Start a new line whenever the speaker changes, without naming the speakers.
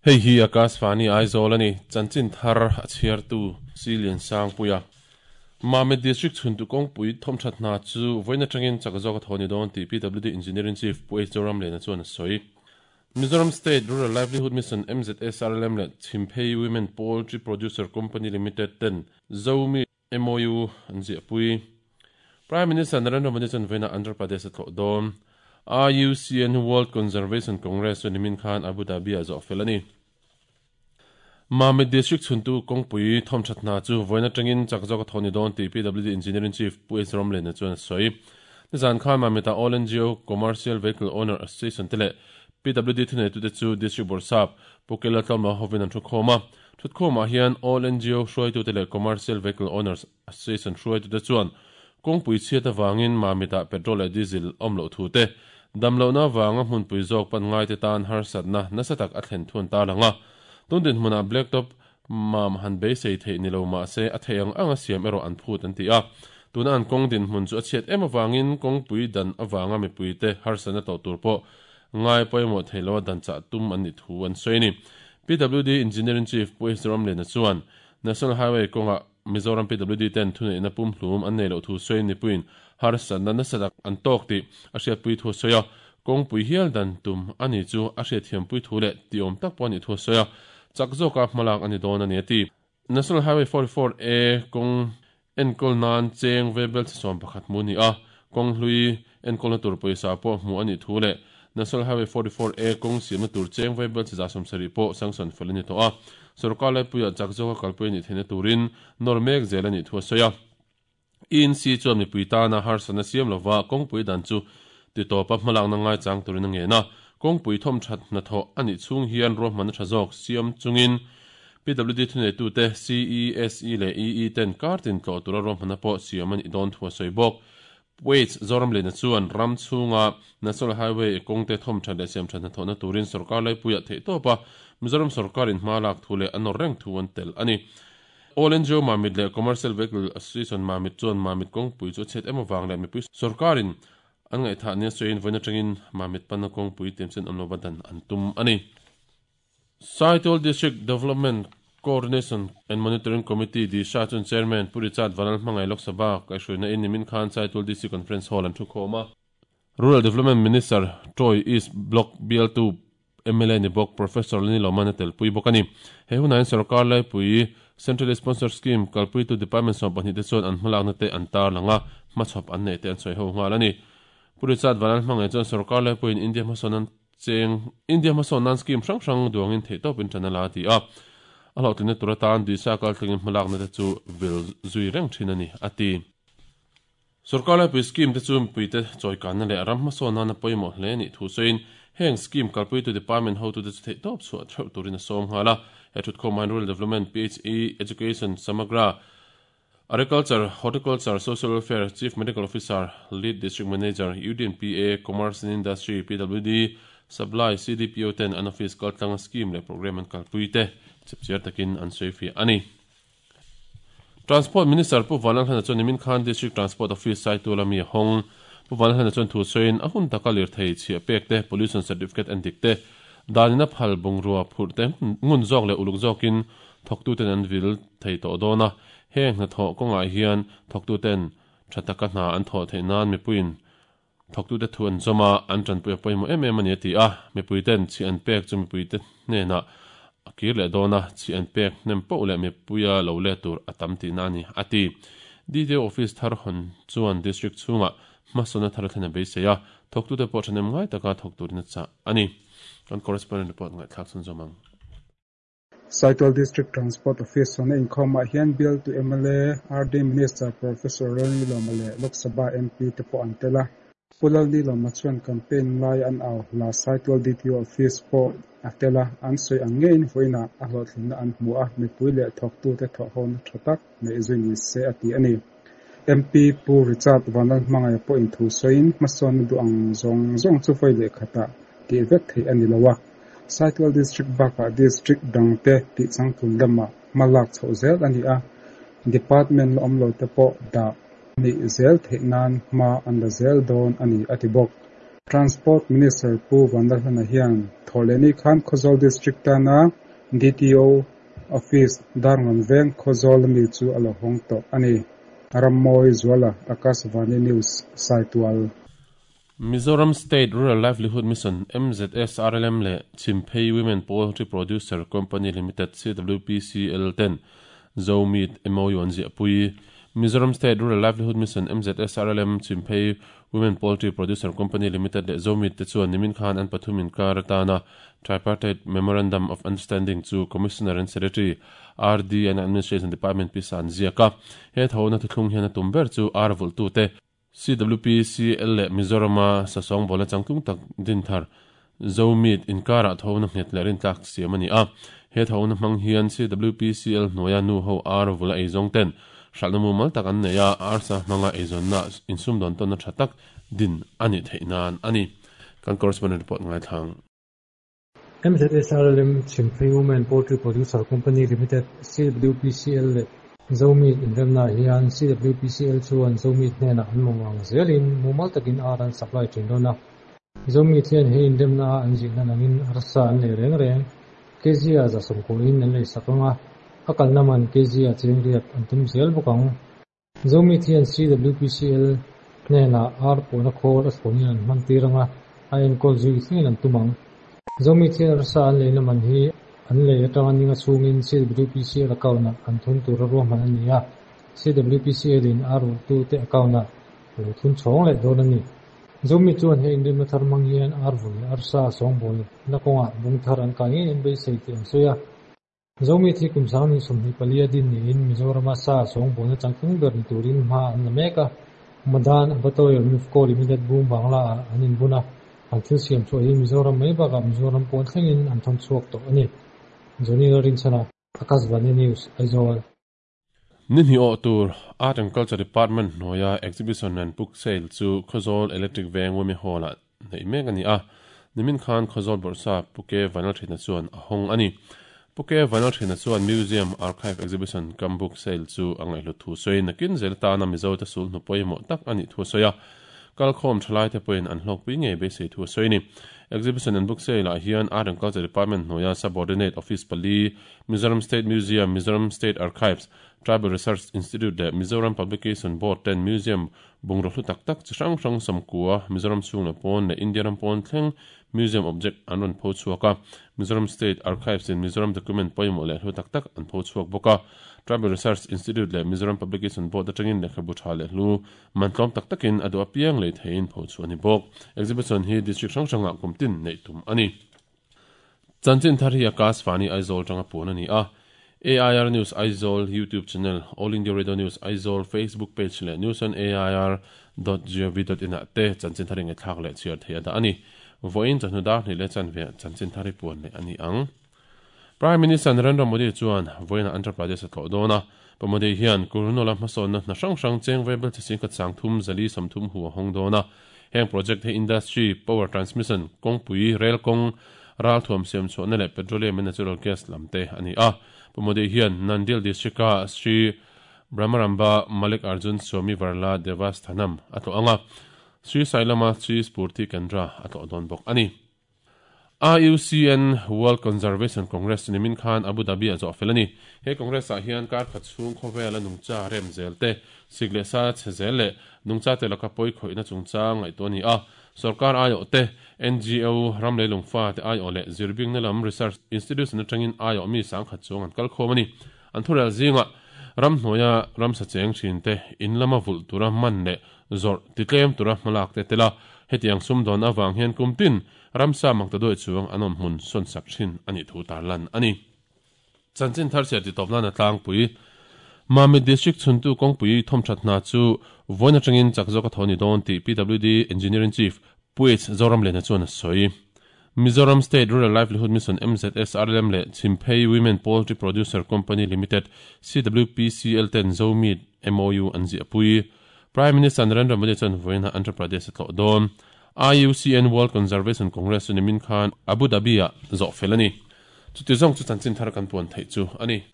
Hei hi Akashvani Aizawl a ni, chanchin thar a chhiartu Silian Sangpuia. Mamit District chhuntu kawngpui thawmthat hna chu vawiin atangin chak zawk a thaw ni dawn tih PWD Engineering Chief Pu H Zoramliana chuan a sawi. Mizoram State Rural Livelihood Mission, MZSRLM, leh Chhimphei Women Poultry Producer Company Limited ten Zomi MOU an ziahpui. Prime Minister Narendra Modi chuan vawiinah Andhra Pradesh a tlawh dawn. IUCN World Conservation Congress chu nimin khan Abu Dhabi-ah zawh fel a ni. Mamit District chhuntu kawngpui thawmthat hna chu vawiin atangin chak zawk a thaw ni dawn tih PWD Engineering Chief Pu H Romlena chuan a sawi. Nizan khan Mamit-ah All NGO Commercial Vehicle Owner Association te leh PWD thuneitute chu District Bawrhsap Pu Kela Tlawmla hovin an thukhawm a. Thutkhawmah hian All NGO hruaitute leh Commercial Vehicle Owners Association hruaitute chuan kawngpui chhiat avangin Mamit-ah petrol leh diesel awm loh thu te, damlohna avanga hmunpui zawk pan ngaite tan harsatna nasa tak a thlen thuan ta lang a. Tun dinhmunah Blacktop mam han beisei theih ni lo mah se a theih ang anga siam erawh an phut an ti a. Tuna an kawng dinhmun chu a chhiat em avangin kawngpui dan avanga mipuite harsatna tawh tur pawh ngai pawimawh thei loa dan chah tum an nih thu an sawi a ni. PWD Engineering Chief Pu H Ramliana chuan National Highway kawngah Mizoram PWD ten thuneihna pumhlum an nei loh thu sawiin mipuiin harsatna nasa tak an tawk tih a hriatpui thu a sawi a, kawngpui hial dan tum a ni chu a hriatthiampui thu leh tihawm tak pawh a nih thu a sawi a, chak zawka hmalak a ni dawn a ni a ti. National Highway 44 A kawng enkawl nan cheng vebel chhe 11 hmu a ni a, kawng hlui enkawlna tur pawisa pawh hmuh a nih thu leh National Highway 44 A kawng siamna tur cheng vebel chhe 70 pawh sanction fel a ni tawh a, sorkar laipuiah chak zawka kalpui a nih theihna turin nawr mek zel a nih thu a sawi a. ENC chuan mipui tana harsatna siam lova kawngpui dan chu titawpa hmalakna ngaichang turin a ngen a, kawngpui thawmthat hnathawh a nih chhung hian ruahmanna tha zawk siam chungin PWD thuneitute CESE leh EE ten kar tin tlawh tura ruahmanna pawh siam a nih dawn thu a sawi bawk. Waits Zoramliana chuan ram chhunga National Highway kawngte thawmthat leh siamthat hnathawhna turin sorkar laipuiah theihtawpa Mizoram sorkarin hma lak thu leh a nawr reng thu an tel a ni. All NGO Mamit leh Commercial Vehicle Association Mamit chuan Mamit kawngpui chu a chhiat em avang leh mipui sorkarin an ngaihthah nia sawiin vawiin atangin Mamit panna kawngpui tiamchen awm lova dan an tum a ni. Saitual District Development Coordination and Monitoring Committee, DISHA, chuan Chairman Pu Richard Vanal hmangaih Lok Sabha kaihhruaina in nimin khan Saitual DC Conference Hall an thukhawm a. Rural Development Minister Troy East Block bialtu mla ni bawk Professor Lani Loman a telpui bawk a ni. He hunah hian sorkar laipui Centrally Sponsored Scheme kalpuitu Department 12 te chuan an hmalakna te an tarlang a, hmachhawp an neih te an sawi ho nghal a ni. Pu Richard Vanal hmangaih chuan sorkar laipuiin India hmasawn an cheng India hmasawn nan scheme hrang hrang duangin theihtawpin tan a la a ti a. A hlawhtlinna tur atan Disha kaltlingin hmalakna te chu vil zui reng thin a ni, a ti. Sorkar laipui scheme te chu mipuite chawikanna leh ram hmasawn nana pawimawh hle nih thu sawiin heng scheme kalpuitu department hotute chu theihtawp chhuah theuh turin a sawm nghal a. He thutkhawmah hian Rural Development, PHE, Education, Samagra, Agriculture, Horticulture, Social Welfare, Chief Medical Officer, Lead District Manager, UDNPA, Commerce and Industry, PWD, Supply, CDPO ten an office kaltlanga scheme leh programme an kalpui te chipchiar takin an sawifiah a ni. Transport Minister Pu Vanlalhlana chuan nimin khan District Transport Office Saitual ami a hawng. Pu Vanlalhlana chuan thu sawiin a hun taka lirthei chhiah pek te, pollution certificate en dik te, danin a phal bungrua phurh te ngun zawk leh uluk zawkin thawktuten an vil thei tawh dawn a. Heng hnathawh kawngah hian thawktuten tha taka hna an thawh theih nan mipuiin thawktute thu an zawm a, an tanpui a pawimawh em em a ni a ti a. Mipuiten chhi an pek chu mipuite hnenah a kir leh dawn a, chhi an pek hnem poh leh mipuia lo let tur a tam tihna a ni, a ti. DTO office thar hawn chuan district chhungah hmasawnna thar a thlen a beisei a, thawktute pawh thahnem ngai taka thawk turin a chah a ni. Kan correspondent report ngaihthlak chhunzawm ang.
Saitual District Transport Office hawna inkhawmah hian bialtu mla, RD Minister Professor Lalni Lawma leh Lok Sabha MP te pawh an tel a. Pu Lalni Lawma chuan campaign lai an au hla Saitual DTO Office pawh a tel a, an sawi ang ngeiin vawiinah a hlawhtlinna an hmu a, mipui leh thawktute thawhhona tha tak neih zui ni se a ti a ni. MP Pu Richard Vanlalhmangaia pawhin thu sawiin hmasawnna duh ang zawng zawng chu vawi leh khatah tih vek theih a ni lo a. Saitual District bakah District dangte tih changtlun lamah hma lak chhoh zel a ni a, Department la awm lo te pawh dah. nih zel theih nan hma an la zel dawn a ni a ti bawk. Transport Minister Pu Vanlalhlana hian Thawhlehni khan Khawzawl District tana DTO Office Darngawn Veng Khawzawl ami chu a lo hawng tawh a ni. Rammawi Zuala, Akashvani News, Saitual.
Mizoram State Rural Livelihood Mission, MZSRLM, leh Chhimphei Women Poultry Producer Company Limited, CWPCL, ten Zomeat MOU an ziahpui. Mizoram State Rural Livelihood Mission, MZSRLM, Chhimphei Women Poultry Producer Company Limited leh Zomeat te chuan nimin khan an pathum inkar atana Tripartite Memorandum of Understanding chu Commissioner and Secretary, RD and Administration Department pisa an ziak a. He thona thuthlung hian a tum ber chu ar vulhtute, CWPCL leh Mizorama sasawng bawlna changtlung tak din thar Zomeat inkarah thona nghet leh rintlak siam a ni a. He thona hmang hian CWPCL hnuaia nu ho ar vula eizawng ten hralhna mumal tak an nei a, arsa hmanga eizawnna insumdawn tawnna tha tak din a nih theih nan a ni. Kan correspondent report ngaithlang.
MZSRLM Chhimphei Women Poultry Producer Company Limited, CWPCL, leh Zomeat inremnaah hian CWPCL chuan Zomeat hnenah an mamawh ang zelin mumal takin ar an supply thin dawn a. Zomeat hian he inremna a an zihna nangin arsa an lei reng reng. Kg-ah 190 in an leisak ang a, a kalna man kg-ah cheng riat an tum zel bawk ang. Zomeat hian CWPCL hnenah ar pawhna khawl a thlawnin an hman tir ang a, a enkawl zui thlengin an tum ang. Zomeat hian arsa an leina man hi an lei atanga ninga chhungin CWPCL account-ah an thun tura ruahman a ni a, CWPCL in ar ulhtute account-ah a lo thun chhawng leh dawn a ni. Zomeat chuan he inrimna thar hmang hian ar vun leh arsa sawngbawlna kawngah bung thar an kai ngei an beisei tih an sawi a. Zomi thi kum 2024 a din niin Mizorama sa sawngbawlna changtlung ber ni turin hma an la mek a. Madan Abatoyer Mifco Limited bung Bangla ah an inbun a, an thil siam chhuah hi Mizoram mai bakah Mizoram pawn thlengin an thawn chhuak tawh a ni. Johnny Lalrinchhana, Akashvani News, Aizawl.
Ni hnih awh tur Art and Culture Department hnuaia Exhibition and Book Sale chu Khawzawl Electric Veng Wemi Hall-ah neih mek a ni a. Nimin khan Khawzawl Bawrhsa Pu Ke Vanlalthina chuan a hawng a ni. Pu Ke Vanlalthina chuan Museum Archive Exhibition cum Book Sale chu a ngaihhlut thu sawiin nakin zel atana Mizote sulhnu pawimawh tak a nih thu a sawi a. Kalkhawm thalaite pawhin an hlawkpui ngei beisei thu a sawi a ni. Exhibition and Book Sale-ah hian Art and Culture Department hnuaia Subordinate Office pali, Mizoram State Museum, Mizoram State Archives, Tribal Research Institute leh Mizoram Publication Board ten Museum bungraw hlu tak tak chi hrang hrang sawmkua, Mizoram chhung leh pawn leh India ram pawn thleng Museum object an rawn pho chhuak a. Mizoram State Archives in Mizoram document pawimawh leh hlu tak tak an pho chhuak bawk a. Tribal Research Institute leh Mizoram Publication Board atangin lehkhabu tha leh hlu man tlawm tak takin a duh apiang lei theiin pho chhuah a ni bawk. Exhibition hi district hrang hrangah kum tin neih tum a ni. Chanchin thar hi Akash Vani Aizawl tanga puan a ni a. AIR News Aizawl YouTube channel, All India Radio News Aizawl Facebook page leh newsonair dot gov dot in ah te chanchin thar inngaihthlak leh chhiar theih a dah a ni. Vawiin chawhnu dar hnih leh chanve ah chanchin thar hi puan leh a ni ang. Prime Minister Narendra Modi chuan vawiinah Andhra Pradesh a tlawh dawn a. Pa Modi hian Kurnool-a hmasawnna hna hrang hrang cheng vaibel chi singkhat 30 430 hu a hawng dawn a. Heng project hi industry, power transmission, kawngpui, rel kawng, ralthuam siam chhuahna leh petroleum and natural gas lam te a ni a. Pu Modi hian Nandyal District-a Sri Brahmaramba Mallikarjun Swami Varla Devasthanam a tlawh ang a, Sri Sailama Sri Spurti Kendra a tlawh dawn bawk a ni. IUCN World Conservation Congress nimin khan Abu Dhabi-ah zawh fel a ni. He Congress-ah hian kar khat chhung khawvela nungcha rem zel te, sik leh sa chhe zel leh nungcha te laka pawi khawihna chungchang ngaihtuah a ni a. Sorkar aiawh te, NGO, ram leilung fa te aiawh leh zirbingna lam research institution atangin aiawh mi sangkhat chuang an kal khawm a ni. An thurel zingah ramhnuaia ramsa cheng thin te, in lama vulh tura man leh zawrh titlem tura hmalak te tel a, hetiang sumdawn avang hian kum tin ramsa mak ta duai chuang an awm hmun sawn sak thin a nih thu tarlan a ni. Chanchin thar chhiar titawp nana tlangpui Mamit District chhuntu kawngpui thawmthat hna chu vawiin atangin chak zawk a tho ni dawn tih PWD Engineering Chief Pu H Zoramliana chuan a sawi. Mizoram State Rural Livelihood Mission, MZSRLM, leh Chhimphei Women Poultry Producer Company Limited, CWPCL, ten Zomeat MOU an ziahpui. Prime Minister Narendra Modi chuan vawiinah Andhra Pradesh a tlawh dawn. IUCN World Conservation Congress chu nimin khan Abu Dhabi-ah zawh fel a ni. Chuti zawng chu chanchin thar kan puan theih chu a ni.